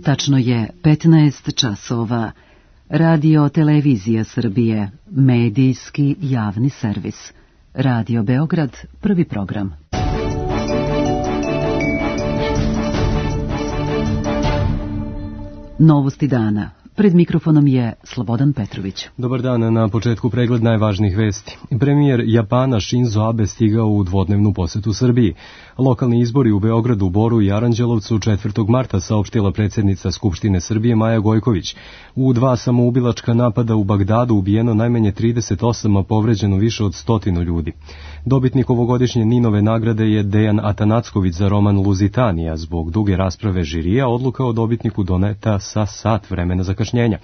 Tačno je 15 časova. Radio Televizija Srbije, medijski javni servis. Radio Beograd, prvi program. Novosti dana. Pred mikrofonom je Slobodan Petrović. Dobar dan, na početku pregled najvažnijih vesti. Premijer Japana Shinzo Abe stigao u dvodnevnu posetu Srbiji. Lokalni izbori u Beogradu, Boru i Aranđelovcu 4. marta saopštila predsjednica Skupštine Srbije Maja Gojković. U 2 samoubilačka napada u Bagdadu ubijeno najmanje 38, a povređeno više od 100 ljudi. Dobitnik ovogodišnje Ninove nagrade je Dejan Atanacković za roman Luzitanija. Zbog duge rasprave žirija odluka o dobitniku doneta sa sat vremena zakašnjenja.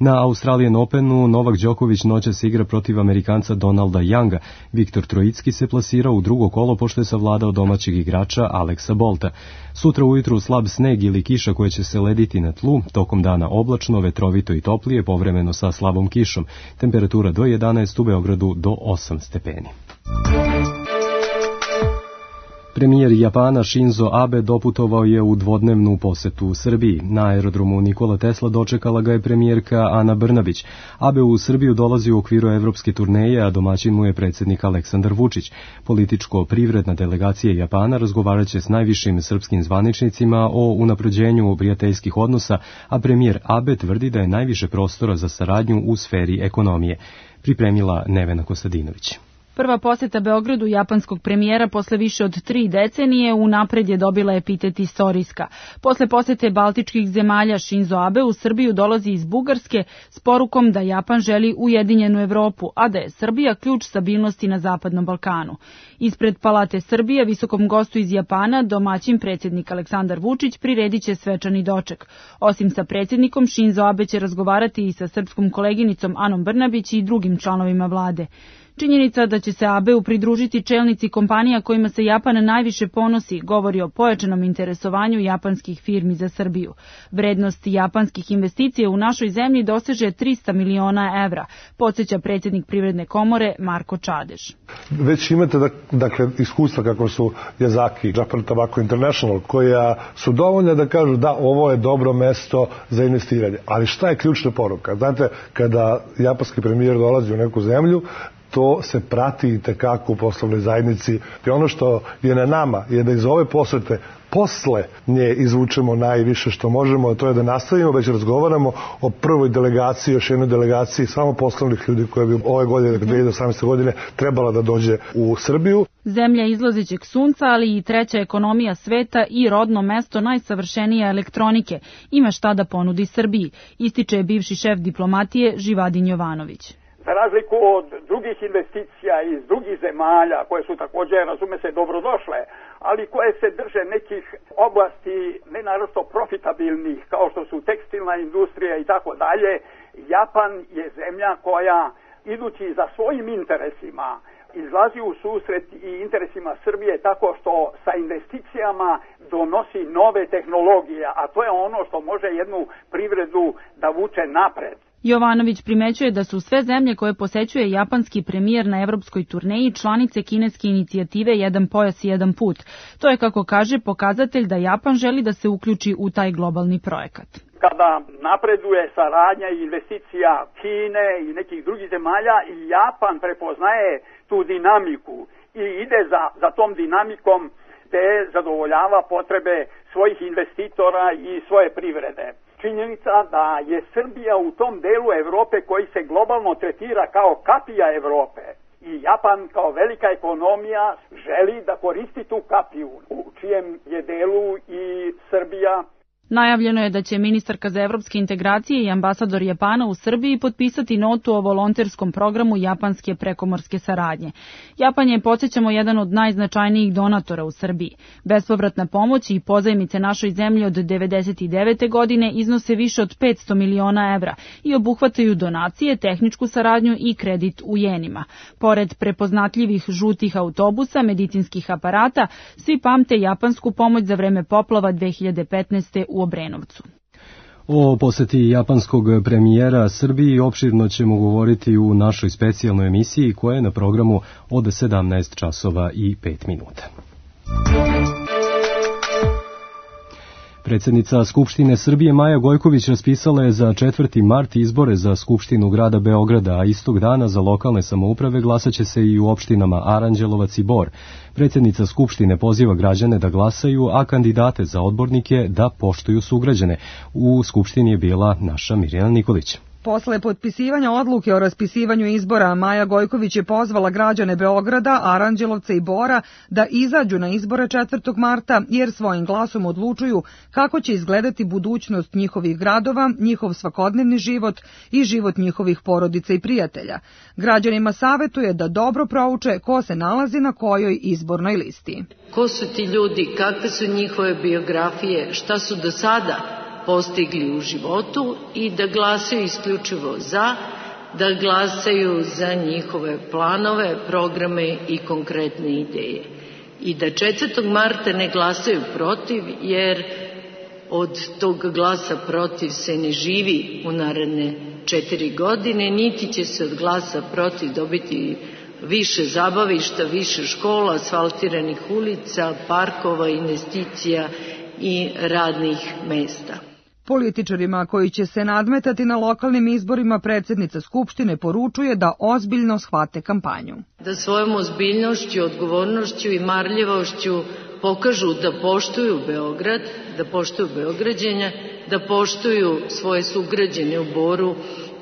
Na Australian Openu Novak Đoković noćas igra protiv Amerikanca Donalda Younga. Viktor Trojicki se plasirao u drugo kolo pošto je savladao domaćeg igrača Aleksa Bolta. Sutra ujutru slab sneg ili kiša koja će se lediti na tlu, tokom dana oblačno, vetrovito i toplije, povremeno sa slabom kišom. Temperatura do 11, u Beogradu do 8 stepeni. Premijer Japana Shinzo Abe doputovao je u dvodnevnu posetu u Srbiji. Na aerodromu Nikola Tesla dočekala ga je premijerka Ana Brnabić. Abe u Srbiju dolazi u okviru evropske turneje, a domaćin mu je predsjednik Aleksandar Vučić. Političko-privredna delegacija Japana razgovarat će s najvišim srpskim zvaničnicima o unapređenju prijateljskih odnosa, a premijer Abe tvrdi da je najviše prostora za saradnju u sferi ekonomije. Pripremila Nevena Kostadinović. Prva poseta Beogradu japanskog premijera posle više od 3 decenije unapred je dobila epitet istorijska. Posle posete baltičkih zemalja Shinzo Abe u Srbiju dolazi iz Bugarske s porukom da Japan želi ujedinjenu Evropu, a da je Srbija ključ stabilnosti na Zapadnom Balkanu. Ispred Palate Srbije visokom gostu iz Japana domaćin predsjednik Aleksandar Vučić priredit će svečani doček. Osim sa predsjednikom, Shinzo Abe će razgovarati i sa srpskom koleginicom Anom Brnabić i drugim članovima vlade. Činjenica da će se Abeu pridružiti čelnici kompanija kojima se Japan najviše ponosi govori o pojačanom interesovanju japanskih firmi za Srbiju. Vrednost japanskih investicija u našoj zemlji doseže 300 miliona evra, podsjeća predsjednik Privredne komore Marko Čadež. Već imate iskustva kako su Yazaki, Japan Tobacco International, koja su dovoljne da kažu da ovo je dobro mesto za investiranje. Ali šta je ključna poruka? Znate, kada japanski premijer dolazi u neku zemlju, to se prati i tekako u poslovnoj zajednici. I ono što je na nama je da iz ove posete posle nje izvučemo najviše što možemo, a to je da nastavimo, već razgovaramo o prvoj delegaciji, još jednoj delegaciji samo poslovnih ljudi koja bi ove godine, 2018. godine, trebala da dođe u Srbiju. Zemlja izlazećeg sunca, ali i treća ekonomija sveta i rodno mesto najsavršenije elektronike ima šta da ponudi Srbiji, ističe bivši šef diplomatije Živadin Jovanović. Za razliku od drugih investicija iz drugih zemalja, koje su također, razume se, dobrodošle, ali koje se drže nekih oblasti nenaročito profitabilnih, kao što su tekstilna industrija i tako dalje, Japan je zemlja koja, idući za svojim interesima, izlazi u susret i interesima Srbije tako što sa investicijama donosi nove tehnologije, a to je ono što može jednu privredu da vuče napred. Jovanović primećuje da su sve zemlje koje posećuje japanski premijer na evropskoj turneji članice kineske inicijative Jedan pojas i jedan put. To je, kako kaže, pokazatelj da Japan želi da se uključi u taj globalni projekat. Kada napreduje saradnja i investicija Kine i nekih drugih zemalja, Japan prepoznaje tu dinamiku i ide za tom dinamikom te zadovoljava potrebe svojih investitora i svoje privrede. Činjenica da je Srbija u tom delu Evrope koji se globalno tretira kao kapija Evrope i Japan kao velika ekonomija želi da koristi tu kapiju u čijem je delu i Srbija. Najavljeno je da će ministarka za evropske integracije i ambasador Japana u Srbiji potpisati notu o volonterskom programu japanske prekomorske saradnje. Japan je, podsjećamo, jedan od najznačajnijih donatora u Srbiji. Bespovratna pomoć i pozajmice našoj zemlji od 1999. godine iznose više od 500 miliona evra i obuhvataju donacije, tehničku saradnju i kredit u jenima. Pored prepoznatljivih žutih autobusa, medicinskih aparata, svi pamte japansku pomoć za vreme poplava 2015. u Obrenovcu. O poseti japanskog premijera Srbiji opširno ćemo govoriti u našoj specijalnoj emisiji koja je na programu od 17 časova i 5 minuta. Predsjednica Skupštine Srbije Maja Gojković raspisala je za 4. mart izbore za Skupštinu grada Beograda, a istog dana za lokalne samouprave glasaće se i u opštinama Aranđelovac i Bor. Predsjednica Skupštine poziva građane da glasaju, a kandidate za odbornike da poštuju sugrađane. U Skupštini je bila naša Mirjana Nikolić. Posle potpisivanja odluke o raspisivanju izbora, Maja Gojković je pozvala građane Beograda, Aranđelovca i Bora da izađu na izbore 4. marta, jer svojim glasom odlučuju kako će izgledati budućnost njihovih gradova, njihov svakodnevni život i život njihovih porodica i prijatelja. Građanima savetuje da dobro prouče ko se nalazi na kojoj izbornoj listi. Ko su ti ljudi, kakve su njihove biografije, šta su do sada postigli u životu i da glasaju isključivo da glasaju za njihove planove, programe i konkretne ideje. I da 4. marta ne glasaju protiv, jer od tog glasa protiv se ne živi u naredne 4 godine, niti će se od glasa protiv dobiti više zabavišta, više škola, asfaltiranih ulica, parkova, investicija i radnih mesta. Političarima koji će se nadmetati na lokalnim izborima predsjednica Skupštine poručuje da ozbiljno shvate kampanju. Da svojom ozbiljnošću, odgovornošću i marljivošću pokažu da poštuju Beograd, da poštuju Beograđane, da poštuju svoje sugrađane u Boru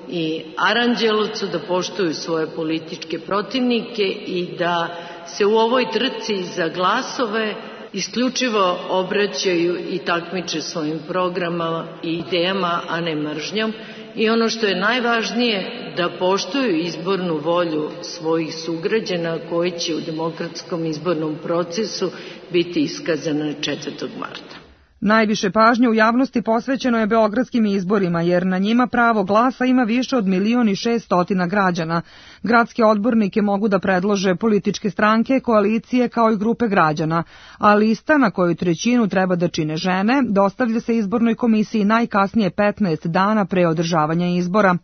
i Aranđelovcu, da poštuju svoje političke protivnike i da se u ovoj trci za glasove isključivo obraćaju i takmiče svojim programama i idejama, a ne mržnjom. I ono što je najvažnije, da poštuju izbornu volju svojih sugrađana koji će u demokratskom izbornom procesu biti iskazana 4. marta. Najviše pažnje u javnosti posvećeno je beogradskim izborima, jer na njima pravo glasa ima više od 1.600.000 građana. Gradske odbornike mogu da predlože političke stranke, koalicije kao i grupe građana, a lista na koju trećinu treba da čine žene dostavlja se izbornoj komisiji najkasnije 15 dana pre održavanja izbora.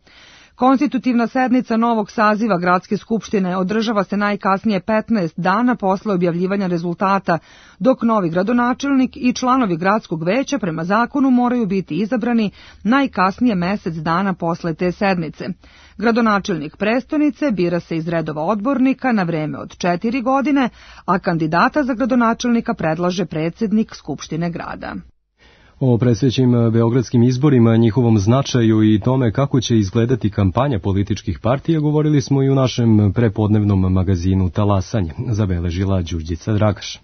Konstitutivna sednica novog saziva Gradske skupštine održava se najkasnije 15 dana posle objavljivanja rezultata, dok novi gradonačelnik i članovi gradskog veća prema zakonu moraju biti izabrani najkasnije mesec dana posle te sednice. Gradonačelnik prestonice bira se iz redova odbornika na vreme od 4 godine, a kandidata za gradonačelnika predlaže predsjednik Skupštine grada. O predstojećim beogradskim izborima, njihovom značaju i tome kako će izgledati kampanja političkih partija govorili smo i u našem prepodnevnom magazinu Talasanje, zabeležila Đurđica Dragaš.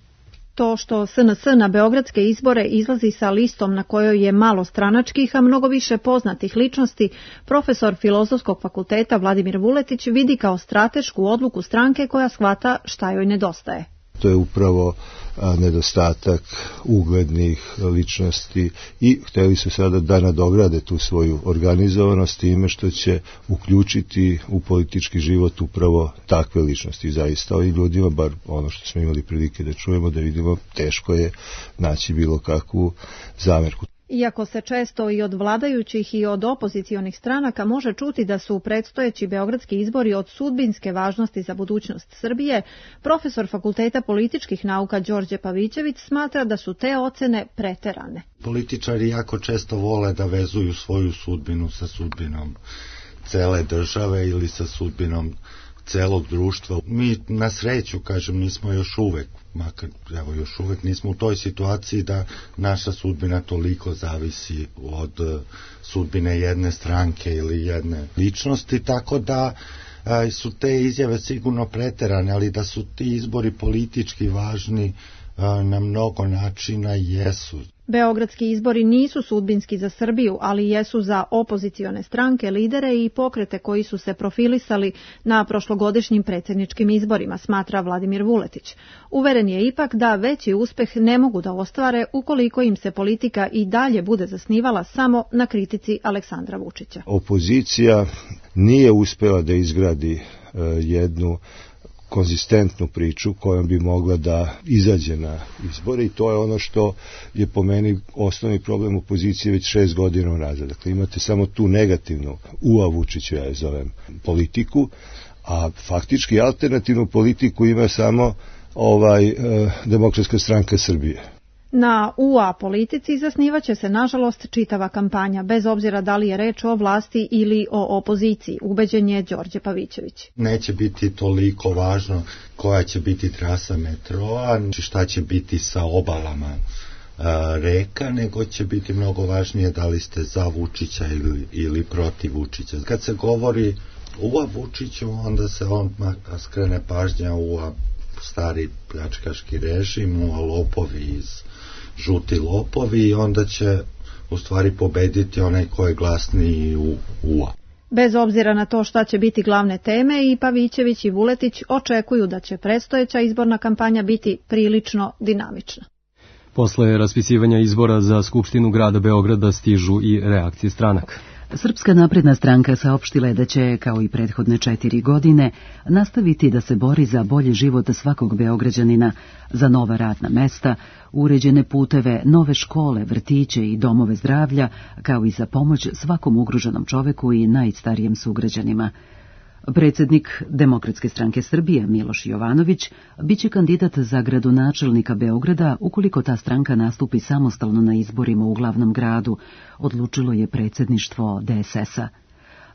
To što SNS na beogradske izbore izlazi sa listom na kojoj je malo stranačkih, a mnogo više poznatih ličnosti, profesor Filozofskog fakulteta Vladimir Vuletić vidi kao stratešku odluku stranke koja shvata šta joj nedostaje. To je upravo nedostatak uglednih ličnosti i hteli su sada da nadograde tu svoju organizovanost time što će uključiti u politički život upravo takve ličnosti. Zaista ovim ljudima, bar ono što smo imali prilike da čujemo, da vidimo, teško je naći bilo kakvu zamerku. Iako se često i od vladajućih i od opozicionih stranaka može čuti da su predstojeći beogradski izbori od sudbinske važnosti za budućnost Srbije, profesor Fakulteta političkih nauka Đorđe Pavićević smatra da su te ocene preterane. Političari jako često vole da vezuju svoju sudbinu sa sudbinom cele države ili sa sudbinom celog društva. Mi na sreću, nismo još uvek, makar još uvek nismo u toj situaciji da naša sudbina toliko zavisi od sudbine jedne stranke ili jedne ličnosti, tako da su te izjave sigurno preterane, ali da su ti izbori politički važni na mnogo načina jesu. Beogradski izbori nisu sudbinski za Srbiju, ali jesu za opozicione stranke, lidere i pokrete koji su se profilisali na prošlogodišnjim predsjedničkim izborima, smatra Vladimir Vuletić. Uveren je ipak da veći uspeh ne mogu da ostvare ukoliko im se politika i dalje bude zasnivala samo na kritici Aleksandra Vučića. Opozicija nije uspela da izgradi jednu konzistentnu priču kojom bi mogla da izađe na izbore i to je ono što je po meni osnovni problem opozicije već 6 godina unazad. Dakle, imate samo tu negativnu Vučiću, ja je zovem, politiku, a faktički alternativnu politiku ima samo Demokratska stranka Srbije. Na UA politici zasnivaće se, nažalost, čitava kampanja, bez obzira da li je reč o vlasti ili o opoziciji, ubeđen je Đorđe Pavićević. Neće biti toliko važno koja će biti trasa metroa, šta će biti sa obalama reka, nego će biti mnogo važnije da li ste za Vučića ili protiv Vučića. Kad se govori UA Vučiću, onda se skrene pažnja UA stari pljačkaški režim, UA lopovi žuti lopovi, i onda će u stvari pobediti onaj ko je glasniji u UA. Bez obzira na to šta će biti glavne teme, i Pavićević i Vuletić očekuju da će predstojeća izborna kampanja biti prilično dinamična. Posle raspisivanja izbora za Skupštinu grada Beograda stižu i reakcije stranaka. Srpska napredna stranka saopštila je da će, kao i prethodne 4 godine, nastaviti da se bori za bolji život svakog Beograđanina, za nova radna mesta, uređene puteve, nove škole, vrtiće i domove zdravlja, kao i za pomoć svakom ugroženom čoveku i najstarijem sugrađanima. Predsjednik Demokratske stranke Srbije Miloš Jovanović biće kandidat za gradonačelnika Beograda ukoliko ta stranka nastupi samostalno na izborima u glavnom gradu, odlučilo je predsjedništvo DSS-a.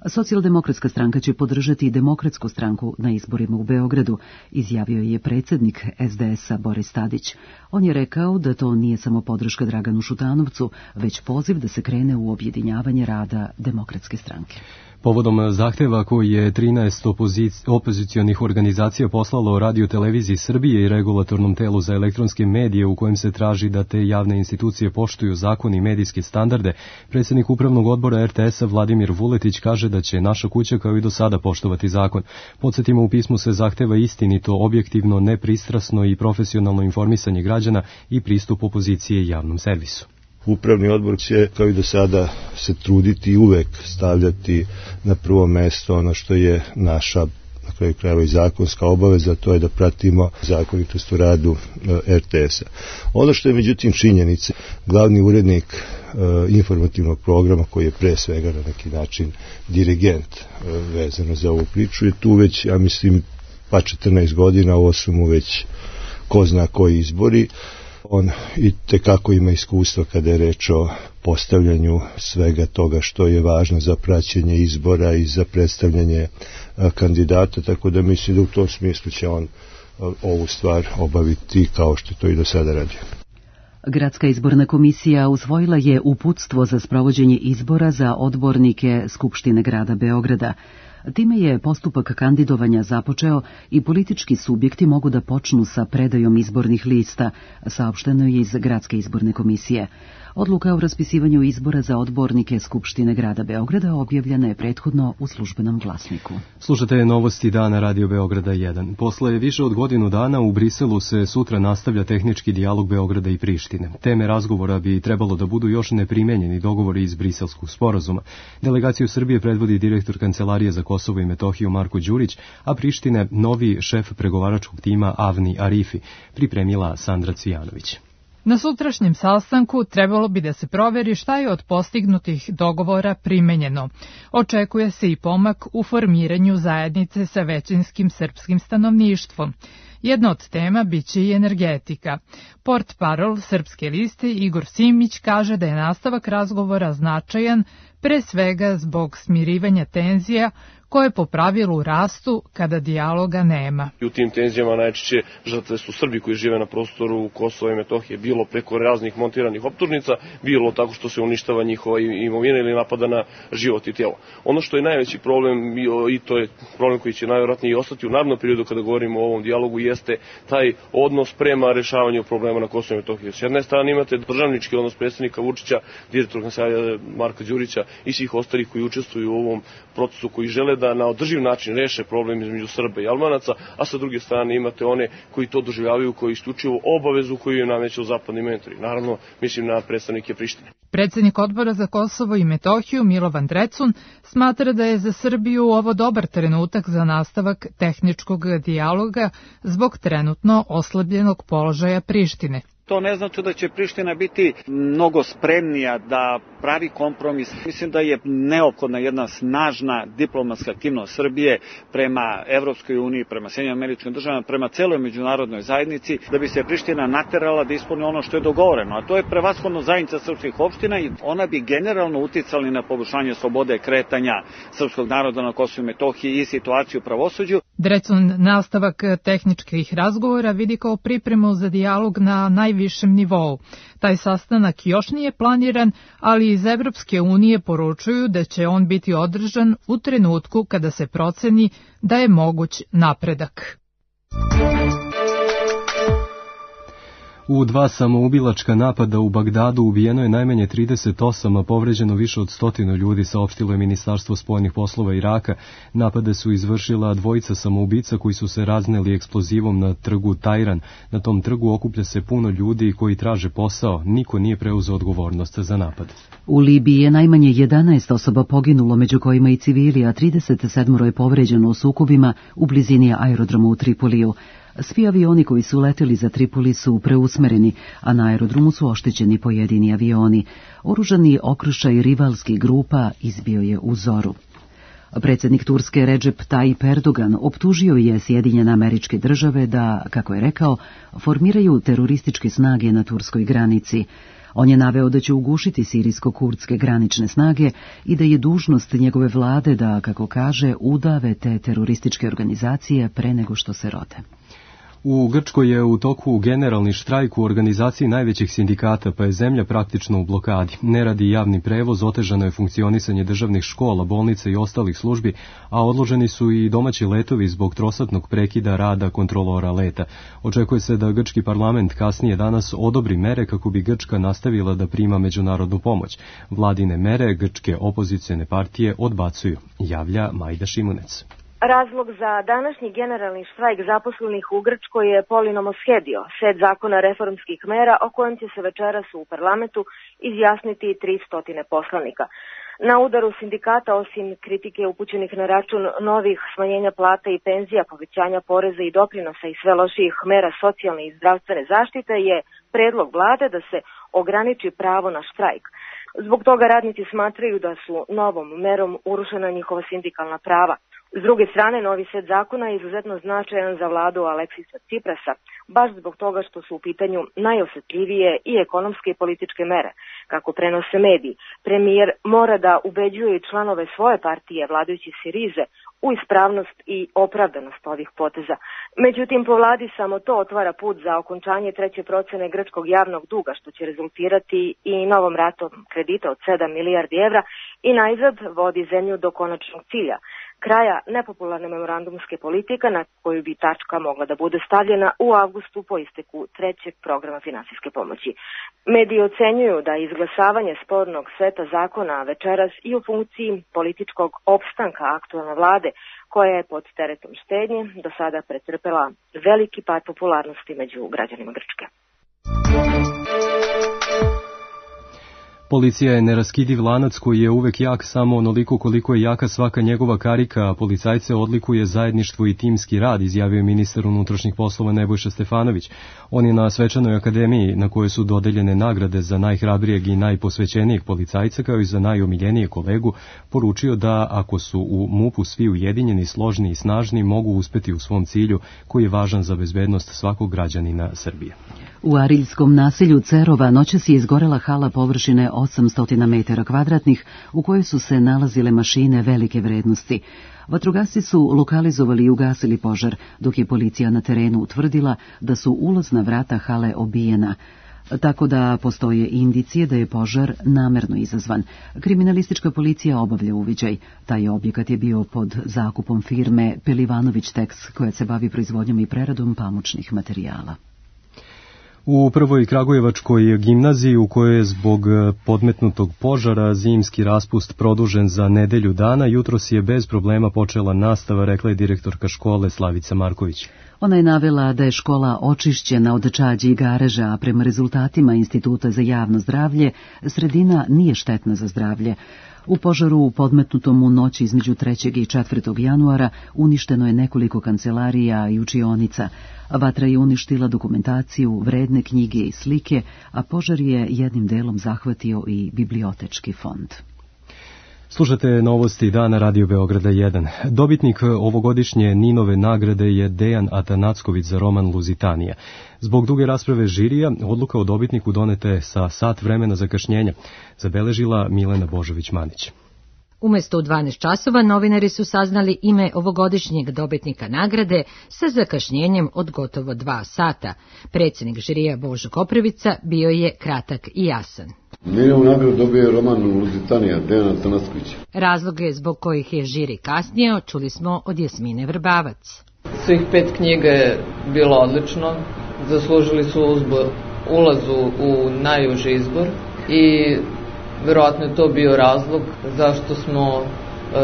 Socijaldemokratska stranka će podržati Demokratsku stranku na izborima u Beogradu, izjavio je predsjednik SDS-a Boris Tadić. On je rekao da to nije samo podrška Draganu Šutanovcu, već poziv da se krene u objedinjavanje rada Demokratske stranke. Povodom zahteva koji je 13 opozicionih organizacija poslalo Radio televiziji Srbije i regulatornom telu za elektronske medije u kojem se traži da te javne institucije poštuju zakon i medijske standarde, predsjednik upravnog odbora RTS-a Vladimir Vuletić kaže da će naša kuća kao i do sada poštovati zakon. Podsjetimo, u pismu se zahteva istinito, objektivno, nepristrasno i profesionalno informisanje građana i pristup opozicije javnom servisu. Upravni odbor će, kao i do sada, se truditi i uvek stavljati na prvo mesto ono što je naša, na kraju krajeva, i zakonska obaveza, to je da pratimo zakonitost u radu RTS-a. Ono što je međutim činjenica, glavni urednik informativnog programa, koji je pre svega na neki način dirigent vezano za ovu priču, je tu već, ja mislim, pa 14 godina, ovo su mu već ko zna koji izbori. On i tekako ima iskustva kada je reč o postavljanju svega toga što je važno za praćenje izbora i za predstavljanje kandidata, tako da mislim da u tom smislu će on ovu stvar obaviti kao što to i do sada radio. Gradska izborna komisija usvojila je uputstvo za sprovođenje izbora za odbornike Skupštine grada Beograda. Time je postupak kandidovanja započeo i politički subjekti mogu da počnu sa predajom izbornih lista, saopšteno je iz Gradske izborne komisije. Odluka o raspisivanju izbora za odbornike Skupštine grada Beograda objavljena je prethodno u Službenom glasniku. Slušate novosti dana Radio Beograda 1. Posle više od godinu dana u Briselu se sutra nastavlja tehnički dijalog Beograda i Prištine. Teme razgovora bi trebalo da budu još neprimenjeni dogovori iz Briselskog sporazuma. Delegaciju Srbije predvodi direktor Kancelarije za Kosovo i Metohiju Marko Đurić, a Prištine novi šef pregovaračkog tima Avni Arifi, pripremila Sandra Cvijanović. Na sutrašnjem sastanku trebalo bi da se proveri šta je od postignutih dogovora primenjeno. Očekuje se i pomak u formiranju zajednice sa većinskim srpskim stanovništvom. Jedna od tema biće i energetika. Portparol Srpske liste Igor Simić kaže da je nastavak razgovora značajan, pre svega zbog smirivanja tenzija koje po pravilu rastu kada dijaloga nema. U tim tenzijama najčešće žrtve su Srbi koji žive na prostoru Kosova i Metohije, bilo preko raznih montiranih optužnica, bilo tako što se uništava njihova imovina ili napada na život i tijelo. Ono što je najveći problem, i to je problem koji će najvjerojatnije ostati u narednom periodu kada govorimo o ovom dijalogu, jeste taj odnos prema rešavanju problema na Kosovu i Metohiji. S jedne strane imate državnički odnos predsjednika Vučića, direktor Kancelarije Marka Đurića i svih ostalih koji učestvuju u ovom procesu, koji žele da na održiv način reše problem između Srba i Albanaca, a sa druge strane imate one koji to doživljavaju koji isključivo obavezu koju im nameću zapadni mentori. Naravno, mislim na predstavnike Prištine. Predsjednik odbora za Kosovo i Metohiju Milovan Drecun smatra da je za Srbiju ovo dobar trenutak za nastavak tehničkog dijaloga zbog trenutno oslabljenog položaja Prištine. To ne znači da će Priština biti mnogo spremnija da pravi kompromis. Mislim da je neophodna jedna snažna diplomatska aktivnost Srbije prema Evropskoj uniji, prema Sjedinjenim Američkim Državama, prema celoj međunarodnoj zajednici, da bi se Priština naterala da ispuni ono što je dogovoreno. A to je prevashodno zajednica srpskih opština i ona bi generalno uticali na poboljšanje slobode kretanja srpskog naroda na Kosovu i Metohiji i situaciju u pravosuđu. Drecun nastavak tehničkih razgovora vidi kao pripremu za dijalog na najvišem nivou. Taj sastanak još nije planiran, ali iz Evropske unije poručuju da će on biti održan u trenutku kada se proceni da je moguć napredak. U 2 samoubilačka napada u Bagdadu ubijeno je najmanje 38, a povređeno više od 100 ljudi, saopštilo je Ministarstvo spoljnih poslova Iraka. Napade su izvršila 2 samoubica koji su se razneli eksplozivom na trgu Tajran. Na tom trgu okuplja se puno ljudi koji traže posao. Niko nije preuzeo odgovornost za napad. U Libiji je najmanje 11 osoba poginulo, među kojima i civili, a 37 je povređeno u sukobima u blizini aerodroma u Tripoliju. Svi avioni koji su leteli za Tripoli su preusmereni, a na aerodromu su oštećeni pojedini avioni. Oružani okršaj rivalskih grupa izbio je u zoru. Predsjednik Turske Recep Tayyip Erdogan optužio je Sjedinjene Američke Države da, kako je rekao, formiraju terorističke snage na turskoj granici. On je naveo da će ugušiti sirijsko-kurdske granične snage i da je dužnost njegove vlade da, kako kaže, udave te terorističke organizacije pre nego što se rode. U Grčkoj je u toku generalni štrajk u organizaciji najvećih sindikata, pa je zemlja praktično u blokadi. Ne radi javni prevoz, otežano je funkcionisanje državnih škola, bolnica i ostalih službi, a odloženi su i domaći letovi zbog trosatnog prekida rada kontrolora leta. Očekuje se da grčki parlament kasnije danas odobri mere kako bi Grčka nastavila da prima međunarodnu pomoć. Vladine mere grčke opozicione partije odbacuju, javlja Majda Šimunec. Razlog za današnji generalni štrajk zaposlenih u Grčkoj je polinomoshedio, set zakona reformskih mera o kojem će se večeras u parlamentu izjasniti 300 poslanika. Na udaru sindikata, osim kritike upućenih na račun novih smanjenja plata i penzija, povećanja poreza i doprinosa i sve lošijih mera socijalne i zdravstvene zaštite, je predlog vlade da se ograniči pravo na štrajk. Zbog toga radnici smatraju da su novom merom urušena njihova sindikalna prava. S druge strane, novi set zakona je izuzetno značajan za vladu Aleksisa Ciprasa, baš zbog toga što su u pitanju najosjetljivije i ekonomske i političke mere. Kako prenose mediji, premijer mora da ubeđuje i članove svoje partije, vladajući Sirize, u ispravnost i opravdanost ovih poteza. Međutim, po vladi samo to otvara put za okončanje 3. procene grčkog javnog duga, što će rezultirati i novom ratom kredita od 7 milijardi evra i najzad vodi zemlju do konačnog cilja, kraja nepopularne memorandumske politike na koju bi tačka mogla da bude stavljena u avgustu po isteku 3. programa finansijske pomoći. Mediji ocenjuju da izglasavanje spornog seta zakona večeras i u funkciji političkog opstanka aktualne vlade, koja je pod teretom štednje do sada pretrpela veliki pad popularnosti među građanima Grčke. Policija je neraskidiv lanac koji je uvek jak samo onoliko koliko je jaka svaka njegova karika, a policajce odlikuje zajedništvo i timski rad, izjavio je ministar unutrašnjih poslova Nebojša Stefanović. On je na svečanoj akademiji na kojoj su dodeljene nagrade za najhrabrijeg i najposvećenijeg policajca kao i za najomiljenijeg kolegu poručio da ako su u MUP-u svi ujedinjeni, složni i snažni mogu uspeti u svom cilju koji je važan za bezbednost svakog građanina Srbije. U Ariljskom naselju Cerova noćas je izgorela hala površine 800 metara kvadratnih u kojoj su se nalazile mašine velike vrednosti. Vatrogasci su lokalizovali i ugasili požar, dok je policija na terenu utvrdila da su ulazna vrata hale obijena, tako da postoje indicije da je požar namerno izazvan. Kriminalistička policija obavlja uviđaj. Taj objekat je bio pod zakupom firme Pelivanović Teks, koja se bavi proizvodnjom i preradom pamučnih materijala. U prvoj Kragujevačkoj gimnaziji, u kojoj je zbog podmetnutog požara zimski raspust produžen za nedelju dana, jutros je bez problema počela nastava, rekla je direktorka škole Slavica Marković. Ona je navela da je škola očišćena od čađi i gareža, a prema rezultatima Instituta za javno zdravlje, sredina nije štetna za zdravlje. U požaru podmetnutom u noći između 3. i 4. januara uništeno je nekoliko kancelarija i učionica. Vatra je uništila dokumentaciju, vredne knjige i slike, a požar je jednim delom zahvatio i bibliotečki fond. Slušate novosti dana Radio Beograda 1. Dobitnik ovogodišnje Ninove nagrade je Dejan Atanacković za roman Luzitanija. Zbog duge rasprave žirija, odluka o dobitniku doneta je sa sat vremena zakašnjenja, zabeležila Milena Božović-Manić. Umesto u 12 časova novinari su saznali ime ovogodišnjeg dobitnika nagrade sa zakašnjenjem od gotovo 2 sata. Predsjednik žirija Božo Koprivica bio je kratak i jasan. Ninovu nagradu dobio je roman Luzitanija, Dejana Atanackovića. Razloge zbog kojih je žiri kasnio čuli smo od Jasmine Vrbavac. Svih 5 knjiga je bilo odlično, zaslužili su ulazu u najuži izbor i verovatno je to bio razlog zašto smo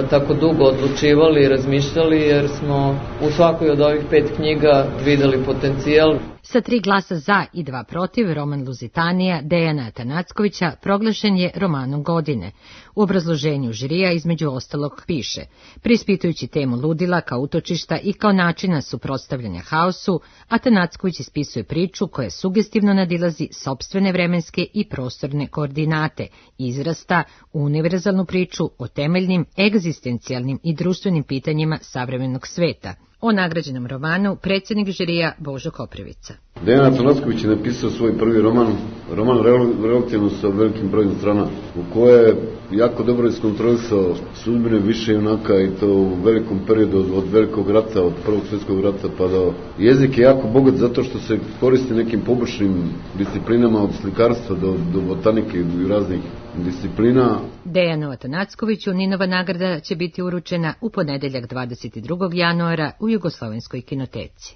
tako dugo odlučivali i razmišljali, jer smo u svakoj od ovih 5 knjiga videli potencijal. Sa 3 glasa za i 2 protiv, roman Luzitanija Dejana Atanackovića proglašen je romanom godine. U obrazloženju žirija između ostalog piše: preispitujući temu ludila kao utočišta i kao načina suprotstavljanja haosu, Atanacković ispisuje priču koja sugestivno nadilazi sopstvene vremenske i prostorne koordinate, izrasta u univerzalnu priču o temeljnim, egzistencijalnim i društvenim pitanjima savremenog sveta. O nagrađenom romanu predsjednik žirija Božo Koprivica. Dejan Atanacković je napisao svoj prvi roman relativno sa velikim brojem strana, u koje je jako dobro iskontrolisao sudbine više junaka i to u velikom periodu od velikog rata, od Prvog svjetskog rata pa do... Jezik je jako bogat zato što se koristi nekim pobočnim disciplinama od slikarstva do botanike i raznih disciplina. Dejanu Atanackoviću Ninova nagrada će biti uručena u ponedeljak 22. januara u Jugoslovenskoj kinoteci.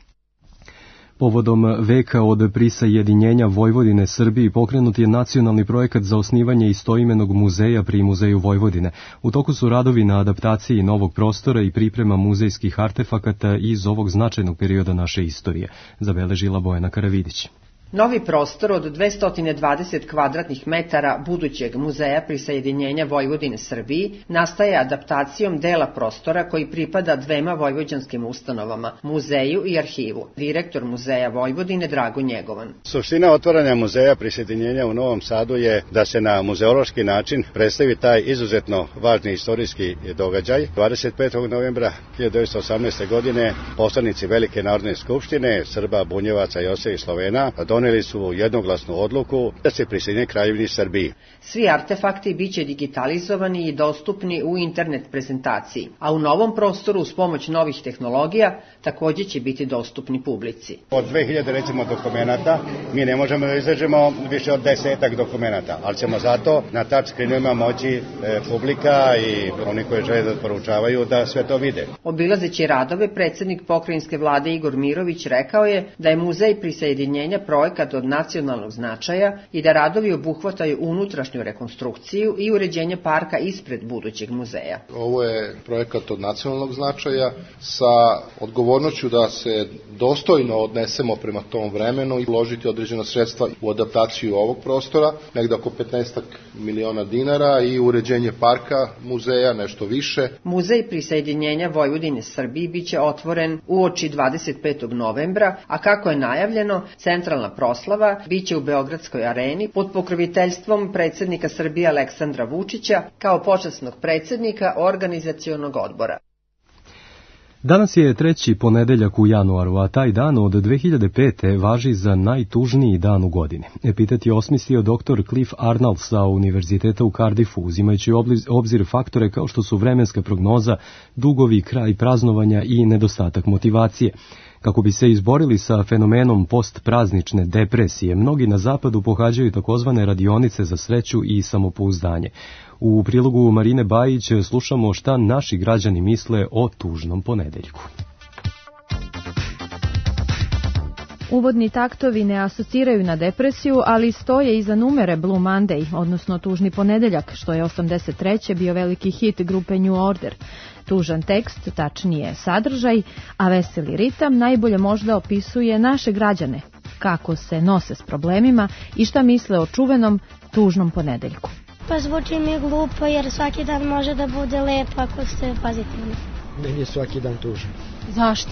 Povodom veka od prisajedinjenja Vojvodine Srbiji pokrenut je nacionalni projekat za osnivanje istoimenog muzeja pri Muzeju Vojvodine. U toku su radovi na adaptaciji novog prostora i priprema muzejskih artefakata iz ovog značajnog perioda naše istorije, zabeležila Bojana Karavidić. Novi prostor od 220 kvadratnih metara budućeg muzeja prisajedinjenja Vojvodine Srbiji nastaje adaptacijom dela prostora koji pripada 2 vojvođanskim ustanovama, muzeju i arhivu. Direktor Muzeja Vojvodine Drago Njegovan. Suština otvaranja muzeja prisajedinjenja u Novom Sadu je da se na muzeološki način predstavi taj izuzetno važni istorijski događaj. 25. novembra 1918. godine poslanici Velike narodne skupštine Srba, Bunjevaca, Jose i Slovena doneli su jednoglasnu odluku da se prisjedine Kraljevini Srbiji. Svi artefakti biće digitalizovani i dostupni u internet prezentaciji, a u novom prostoru uz pomoć novih tehnologija također će biti dostupni publici. Od 2000 recimo dokumenata mi ne možemo da izražemo više od 10 dokumenata, ali ćemo zato na touchscreenima moći publika i oni koji žele da poručavaju da sve to vide. Obilazeći radove, predsjednik pokrajinske vlade Igor Mirović rekao je da je muzej prisajedinjenja projekat od nacionalnog značaja i da radovi obuhvataju unutrašnju rekonstrukciju i uređenje parka ispred budućeg muzeja. Ovo je projekat od nacionalnog značaja sa odgovornošću da se dostojno odnesemo prema tom vremenu i uložiti određena sredstva u adaptaciju ovog prostora, negde oko 15 miliona dinara i uređenje parka muzeja, nešto više. Muzej prisajedinjenja Vojvodine Srbiji biće otvoren uoči 25. novembra, a kako je najavljeno, centralna proslava biće u Beogradskoj areni pod pokroviteljstvom predsjednika Srbije Aleksandra Vučića kao počasnog predsjednika organizacionog odbora. Danas je 3. ponedeljak u januaru, a taj dan od 2005. važi za najtužniji dan u godini. Epitet je osmislio dr. Cliff Arnold sa Univerziteta u Cardiffu, uzimajući obzir faktore kao što su vremenska prognoza, dugovi, kraj praznovanja i nedostatak motivacije. Kako bi se izborili sa fenomenom postpraznične depresije, mnogi na zapadu pohađaju takozvane radionice za sreću i samopouzdanje. U prilogu Marine Bajić slušamo šta naši građani misle o tužnom ponedeljku. Uvodni taktovi ne asociraju na depresiju, ali stoje iza numere Blue Monday, odnosno Tužni ponedeljak, što je 83. bio veliki hit grupe New Order. Tužan tekst, tačnije sadržaj, a veseli ritam najbolje možda opisuje naše građane, kako se nose s problemima i šta misle o čuvenom Tužnom ponedeljku. Pa zvuči mi glupo jer svaki dan može da bude lep ako ste pozitivni. Meni je svaki dan tužan. Zašto?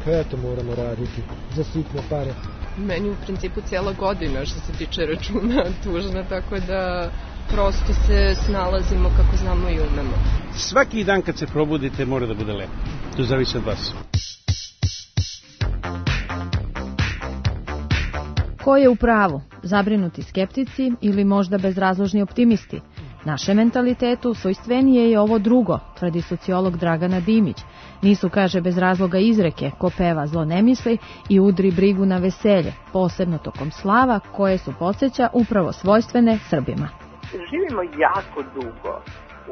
Pa eto, moramo raditi za sitne pare. Meni u principu cijela godina što se tiče računa tužna, tako da prosto se snalazimo kako znamo i umemo. Svaki dan kad se probudite mora da bude lepo. To zavisi od vas. Ko je u pravu? Zabrinuti skeptici ili možda bezrazložni optimisti? Našem mentalitetu svojstvenije je ovo drugo, tvrdi sociolog Dragana Dimić. Nisu, kaže, bez razloga izreke, ko peva zlo ne misli i udri brigu na veselje, posebno tokom slava koje su, podsjeća, upravo svojstvene Srbima. Živimo jako dugo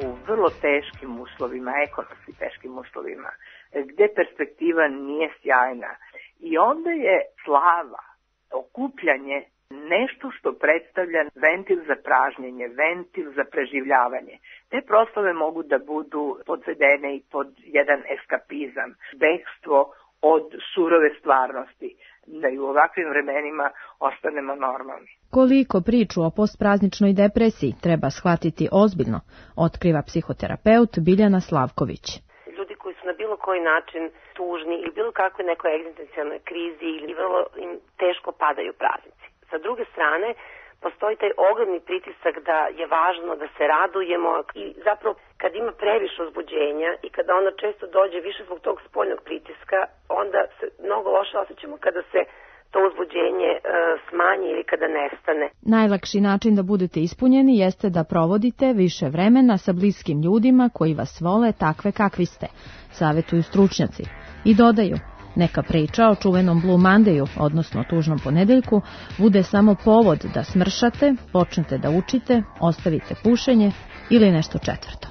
u vrlo teškim uslovima, ekonomski teškim uslovima, gde perspektiva nije sjajna. I onda je slava, okupljanje, nešto što predstavlja ventil za pražnjenje, ventil za preživljavanje. Te proslave mogu da budu podvedene i pod jedan eskapizam, bekstvo od surove stvarnosti, da i u ovakvim vremenima ostanemo normalni. Koliko priču o postprazničnoj depresiji treba shvatiti ozbiljno, otkriva psihoterapeut Biljana Slavković. Ljudi koji su na bilo koji način tužni ili bilo kakve nekoj egzistencijalnoj krizi ili vrlo im teško padaju praznici. Sa druge strane, postoji taj ogromni pritisak da je važno da se radujemo i zapravo kad ima previše uzbuđenja i kada ono često dođe više zbog tog spoljnog pritiska, onda se mnogo loše osjećamo kada se to uzbuđenje smanji ili kada nestane. Najlakši način da budete ispunjeni jeste da provodite više vremena sa bliskim ljudima koji vas vole takve kakvi ste, savetuju stručnjaci. I dodaju, neka priča o čuvenom Blue Mondayu, odnosno Tužnom ponedeljku, bude samo povod da smršate, počnete da učite, ostavite pušenje ili nešto četvrto.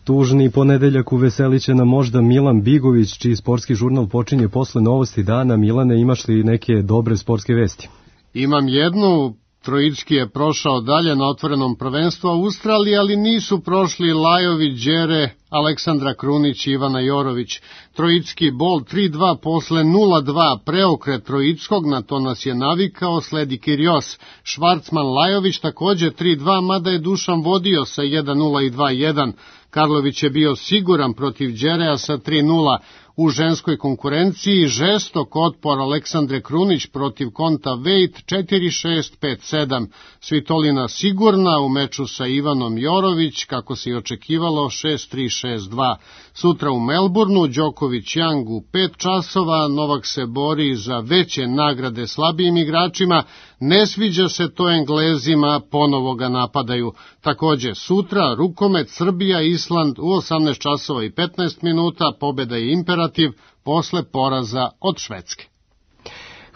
Tužni ponedeljak uveselit će nam možda Milan Bigović, čiji sportski žurnal počinje posle novosti dana. Milane, imaš li neke dobre sportske vesti? Imam jednu. Trojicki je prošao dalje na otvorenom prvenstvu Australije, ali nisu prošli Lajović, Đere, Aleksandra Krunić i Ivana Jorović. Trojicki bol 3-2 posle 0-2, preokret Trojickog, na to nas je navikao, sledi Kirios. Švarcman Lajović takođe 3-2, mada je Dušan vodio sa 1-0 i 2-1. Karlović je bio siguran protiv Đereja sa 3-0. U ženskoj konkurenciji žestok otpor Aleksandre Krunić protiv Konta Vejt 4-6, 5-7. Svitolina sigurna u meču sa Ivanom Jorović, kako se i očekivalo, 6-3, 6-2. Sutra u Melbourneu Đoković Yang u 5 časova, Novak se bori za veće nagrade slabijim igračima, ne sviđa se to Englezima, ponovo ga napadaju. Takođe sutra rukomet Srbija Island u 18 časova i 15 minuta, pobeda je imperativ posle poraza od Švedske.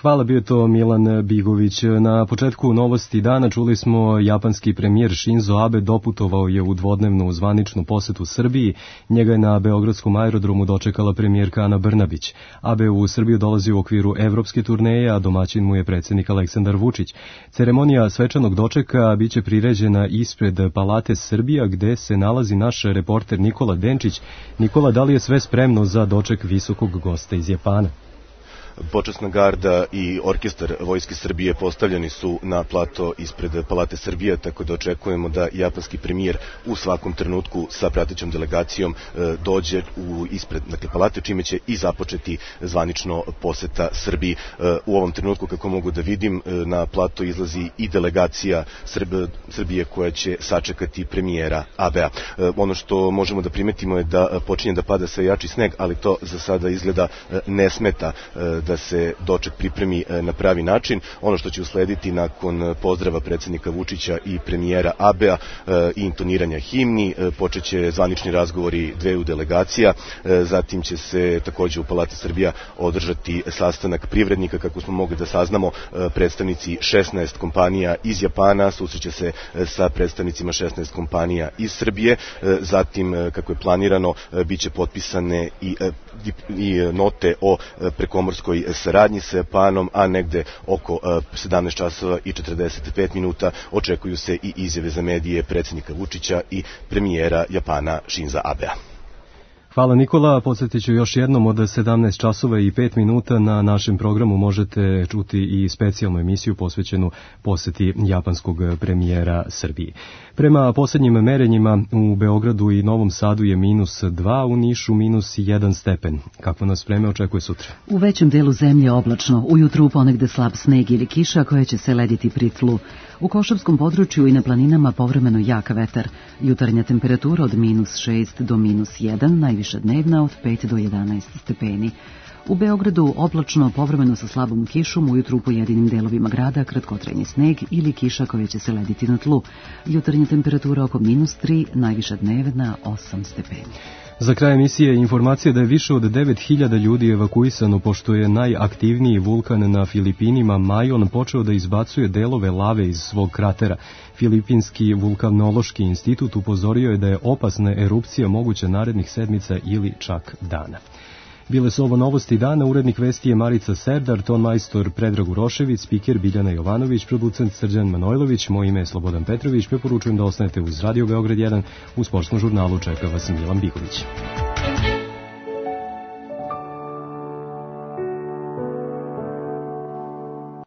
Hvala, bio to Milan Bigović. Na početku novosti dana čuli smo japanski premijer Shinzo Abe doputovao je u dvodnevnu zvaničnu posetu Srbiji. Njega je na beogradskom aerodromu dočekala premijerka Ana Brnabić. Abe u Srbiju dolazi u okviru evropske turneje, a domaćin mu je predsjednik Aleksandar Vučić. Ceremonija svečanog dočeka biće priređena ispred Palate Srbija, gde se nalazi naš reporter Nikola Denčić. Nikola, da li je sve spremno za doček visokog gosta iz Japana? Počasna garda i orkestar Vojske Srbije postavljeni su na plato ispred Palate Srbije, tako da očekujemo da japanski premijer u svakom trenutku sa pratećom delegacijom dođe ispred palate, čime će i započeti zvanično poseta Srbiji. U ovom trenutku, kako mogu da vidim, na plato izlazi i delegacija Srbije koja će sačekati premijera Abea. Ono što možemo da primetimo je da počinje da pada sve jači sneg, ali to za sada izgleda ne smeta da se doček pripremi na pravi način. Ono što će uslediti nakon pozdrava predsjednika Vučića i premijera Abea i intoniranja himni, počeće zvanični razgovori dveju delegacija, zatim će se takođe u Palati Srbija održati sastanak privrednika, kako smo mogli da saznamo, predstavnici 16 kompanija iz Japana susreće se sa predstavnicima 16 kompanija iz Srbije, zatim, kako je planirano, biće potpisane i note o prekomorskoj saradnji sa Japanom, a negde oko 17 časova i 45 minuta očekuju se i izjave za medije predsjednika Vučića i premijera Japana Shinza Abea. Hvala Nikola, podsjetit ću još jednom od 17 časova i 5 minuta na našem programu možete čuti i specijalnu emisiju posvećenu poseti japanskog premijera Srbiji. Prema posljednjim merenjima u Beogradu i Novom Sadu je -2, u Nišu -1 stepen. Kako nas vreme očekuje sutra? U većem delu zemlje oblačno, ujutru ponegde slab sneg ili kiša koja će se lediti pri tlu. U Košavskom području i na planinama povremeno jak vetar. Jutarnja temperatura od -6 do -1, najviša dnevna od 5 do 11 stepeni. U Beogradu oblačno, povremeno sa slabom kišom, ujutru u pojedinim delovima grada kratkotrajni sneg ili kiša koja će se lediti na tlu. Jutarnja temperatura oko -3, najviša dnevna 8 stepeni. Za kraj emisije informacija da je više od 9000 ljudi evakuisano pošto je najaktivniji vulkan na Filipinima Majon počeo da izbacuje delove lave iz svog kratera. Filipinski vulkanološki institut upozorio je da je opasna erupcija moguća narednih sedmica ili čak dana. Bile su ovo novosti dana, urednik vesti je Marica Serdar, ton majstor Predrag Urošević, spiker Biljana Jovanović, producent Srđan Manojlović, moje ime je Slobodan Petrović, preporučujem da ostanete uz Radio Beograd 1, u sportskom žurnalu čeka vas Milan Bigović.